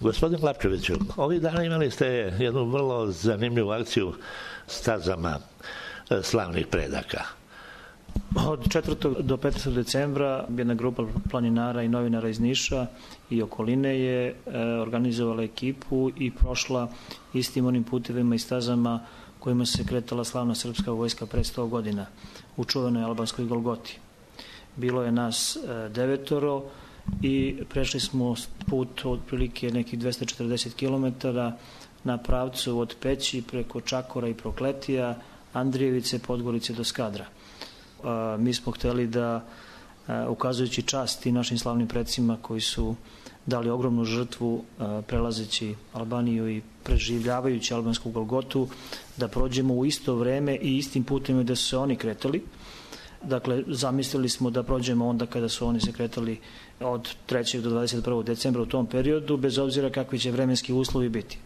Gospodin Lapčeviću, ovih dana imali ste jednu vrlo zanimljivu akciju stazama slavnih predaka. Od 4. do 15. decembra jedna grupa planinara i novinara iz Niša i okoline je organizovala ekipu i prošla istim onim putevima i stazama kojima se kretala slavna srpska vojska pre 100 godina u čuvenoj albanskoj Golgoti. Bilo je nas 9 i prešli smo put otprilike nekih 240 km na pravcu od Peći preko Čakora i Prokletija, Andrijevice, Podgorice do Skadra. Mi smo hteli da, ukazujući čast i našim slavnim predsima koji su dali ogromnu žrtvu prelazeći Albaniju i preživljavajući albansku Golgotu, da prođemo u isto vreme i istim putem da su se oni kretali. Dakle, zamislili smo da prođemo onda kada su oni se kretali od 3. do 21. decembra u tom periodu, bez obzira kakvi će vremenski uslovi biti.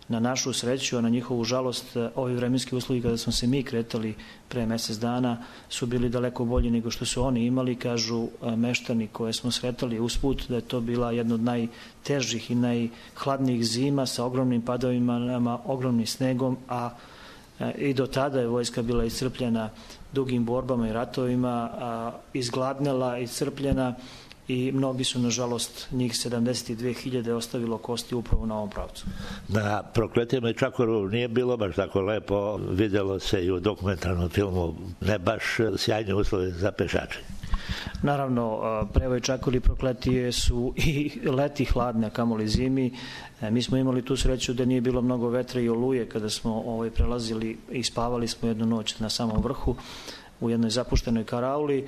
Na našu sreću, a na njihovu žalost, ovi vremenski uslovi kada smo se mi kretali pre mesec dana su bili daleko bolji nego što su oni imali. Kažu meštani koje smo sretali usput da je to bila jedna od najtežih i najhladnijih zima sa ogromnim padavima, ogromnim snegom, a i do tada je vojska bila iscrpljena dugim borbama i ratovima, izgladnela, iscrpljena i mnogi su, nažalost, njih 72.000 ostavilo kosti upravo na ovom pravcu. Na Prokletijama i Čakoru nije bilo baš tako lepo, vidjelo se i u dokumentarnom filmu, ne baš sjajni uslovi za pešače. Naravno, Prevoj, Čakor i Prokletije su i leti hladne, a kamoli zimi. Mi smo imali tu sreću da nije bilo mnogo vetra i oluje kada smo prelazili i spavali smo jednu noć na samom vrhu u jednoj zapuštenoj karauli,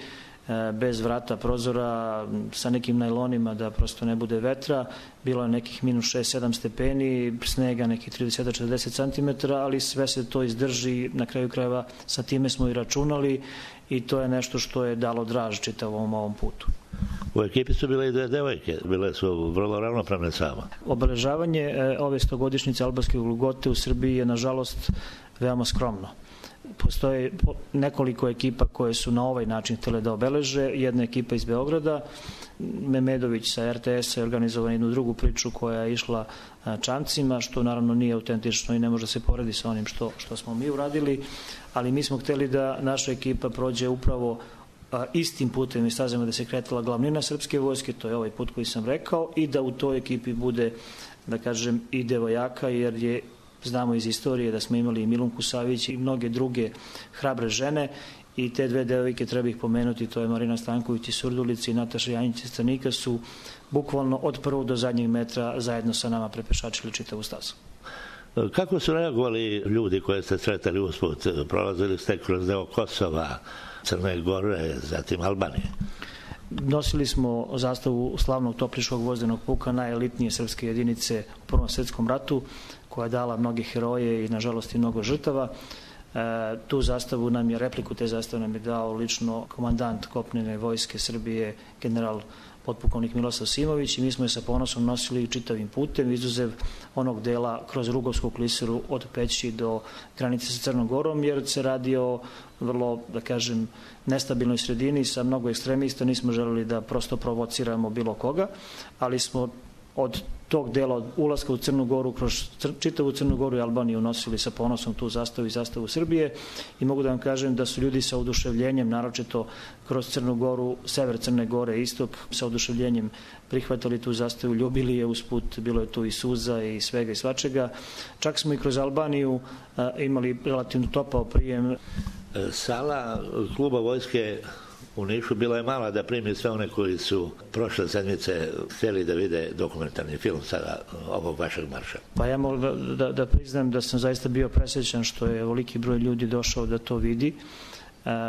bez vrata, prozora, sa nekim najlonima da prosto ne bude vetra. Bilo je nekih minus 6-7 stepeni, snega nekih 30-40 cm, ali sve se to izdrži. Na kraju krajeva sa time smo i računali i to je nešto što je dalo draž čitavom ovom putu. U ekipi su bile i dve devojke, bile su vrlo ravnopravne sama. Obeležavanje ove 100-godišnjice albanske Golgote u Srbiji je, nažalost, veoma skromno. Postoje nekoliko ekipa koje su na ovaj način htjele da obeleže. Jedna ekipa iz Beograda, Memedović sa RTS-a je organizovala jednu drugu priču koja je išla čamcima, što naravno nije autentično i ne može se poredi sa onim što smo mi uradili, ali mi smo htjeli da naša ekipa prođe upravo istim putem i stazama da se kretala glavnina srpske vojske, to je ovaj put koji sam rekao, i da u toj ekipi bude, da kažem, i devojaka, jer je, znamo iz istorije da smo imali i Milunku Savić i mnoge druge hrabre žene, i te dve devojke treba ih pomenuti, to je Marina Stanković iz Surdulice i Nataša Janjić iz Crnika, su bukvalno od prvog do zadnjeg metra zajedno sa nama prepešačili čitavu stazu. Kako su reagovali ljudi koje ste sretali usput? Prolazili ste kroz deo Kosova, Crne Gore, zatim Albanije? Nosili smo zastavu slavnog Topliškog vozdenog puka, najelitnije srpske jedinice u Prvom svetskom ratu, koja je dala mnoge heroje i, nažalost, i mnogo žrtava. Tu zastavu nam je, repliku te zastave nam je dao lično komandant kopnene vojske Srbije, general potpukovnik Milosav Simović, i mi smo je sa ponosom nosili čitavim putem, izuzev onog dela kroz Rugovsku klisuru od Peći do granice sa Crnom Gorom, jer se radi o vrlo, da kažem, nestabilnoj sredini sa mnogo ekstremista. Nismo želeli da prosto provociramo bilo koga, ali smo od tog dela, od ulaska u Crnu Goru, kroz čitavu Crnu Goru i Albaniju nosili sa ponosom tu zastavu i zastavu Srbije, i mogu da vam kažem da su ljudi sa oduševljenjem, naročito kroz Crnu Goru, sever Crne Gore, istok, sa oduševljenjem prihvatali tu zastavu, ljubili je usput, bilo je tu i suza i svega i svačega. Čak smo i kroz Albaniju imali relativno topao prijem. Sala kluba vojske u Nišu bila je mala da primi sve one koji su prošle sedmice htjeli da vide dokumentarni film sa ovog vašeg marša. Pa ja mogu da priznam da sam zaista bio presrećan što je ovoliki broj ljudi došao da to vidi,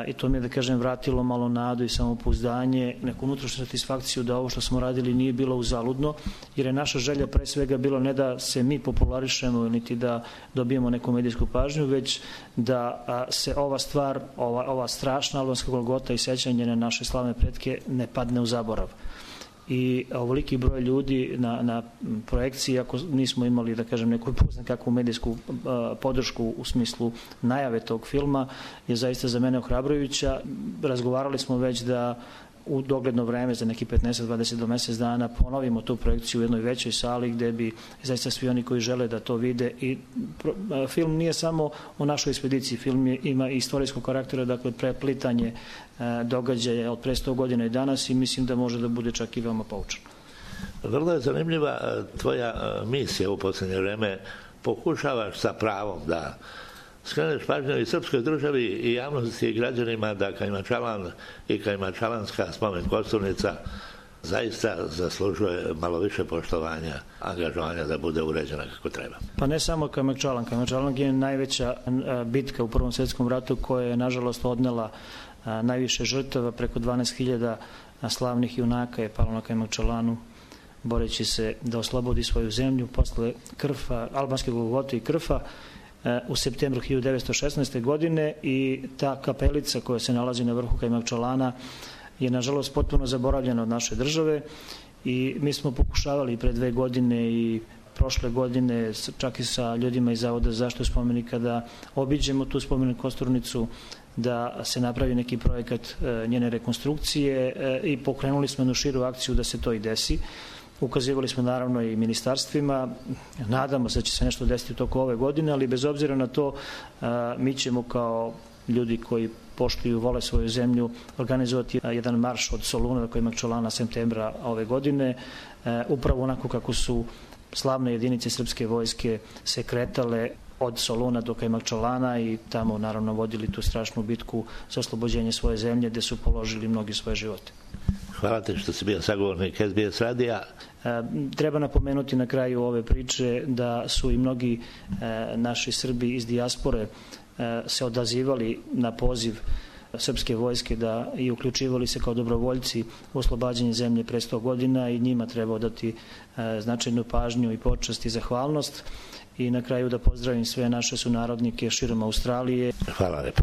i to mi je, da kažem, vratilo malo nadu i samopouzdanje, neku unutrašnju satisfakciju da ovo što smo radili nije bilo uzaludno, jer je naša želja pre svega bilo ne da se mi popularišemo niti da dobijemo neku medijsku pažnju, već da se ova stvar, ova strašna albanska Golgota i sećanje na naše slavne pretke ne padne u zaborav. I ovoliki broj ljudi na projekciji, ako nismo imali, da kažem, neku kakvu medijsku podršku u smislu najave tog filma, je zaista za mene ohrabrujuća. Razgovarali smo već da u dogledno vreme za neki 15-20 do mesec dana ponovimo tu projekciju u jednoj većoj sali gde bi zaista svi oni koji žele da to vide i film nije samo o našoj ekspediciji, film ima i istorijskog karaktera, dakle preplitanje događaja od pre 100 godina i danas i mislim da može da bude čak i veoma poučan. Vrlo je zanimljiva tvoja misija u poslednje vreme. Pokušavaš sa pravom da skreneš pažnju i srpskoj državi i javnosti i građanima da Kajmakčalan i Kajmakčalanska spomen kosturnica zaista zaslužuje malo više poštovanja, angažovanja da bude uređena kako treba. Pa ne samo Kajmakčalan. Kajmakčalan je najveća bitka u Prvom svetskom ratu koja je nažalost odnela najviše žrtava, preko 12.000 slavnih junaka je palo na Kajmakčalanu boreći se da oslobodi svoju zemlju posle Krfa, albanske Golgote i Krfa u septembru 1916. godine i ta kapelica koja se nalazi na vrhu Kajmakčalana je nažalost potpuno zaboravljena od naše države i mi smo pokušavali pre 2 godine i prošle godine čak i sa ljudima iz Zavoda za zaštitu spomenika da obiđemo tu spomenik kosturnicu, da se napravi neki projekat njene rekonstrukcije i pokrenuli smo jednu širu akciju da se to i desi. Ukazivali smo naravno i ministarstvima, nadamo se da će se nešto desiti u toku ove godine, ali bez obzira na to mi ćemo kao ljudi koji poštuju, vole svoju zemlju, organizovati jedan marš od Soluna do Kajmakčalana septembra ove godine, upravo onako kako su slavne jedinice srpske vojske se kretale od Soluna do Kajmakčalana i tamo naravno vodili tu strašnu bitku za oslobođenje svoje zemlje gde su položili mnogi svoje živote. Hvala ti što si bio sagovornik SBS radija. Treba napomenuti na kraju ove priče da su i mnogi naši Srbi iz dijaspore se odazivali na poziv srpske vojske da i uključivali se kao dobrovoljci u oslobađanje zemlje pre 100 godina i njima treba odati značajnu pažnju i počast i zahvalnost. I na kraju da pozdravim sve naše sunarodnike širom Australije. Hvala lepo.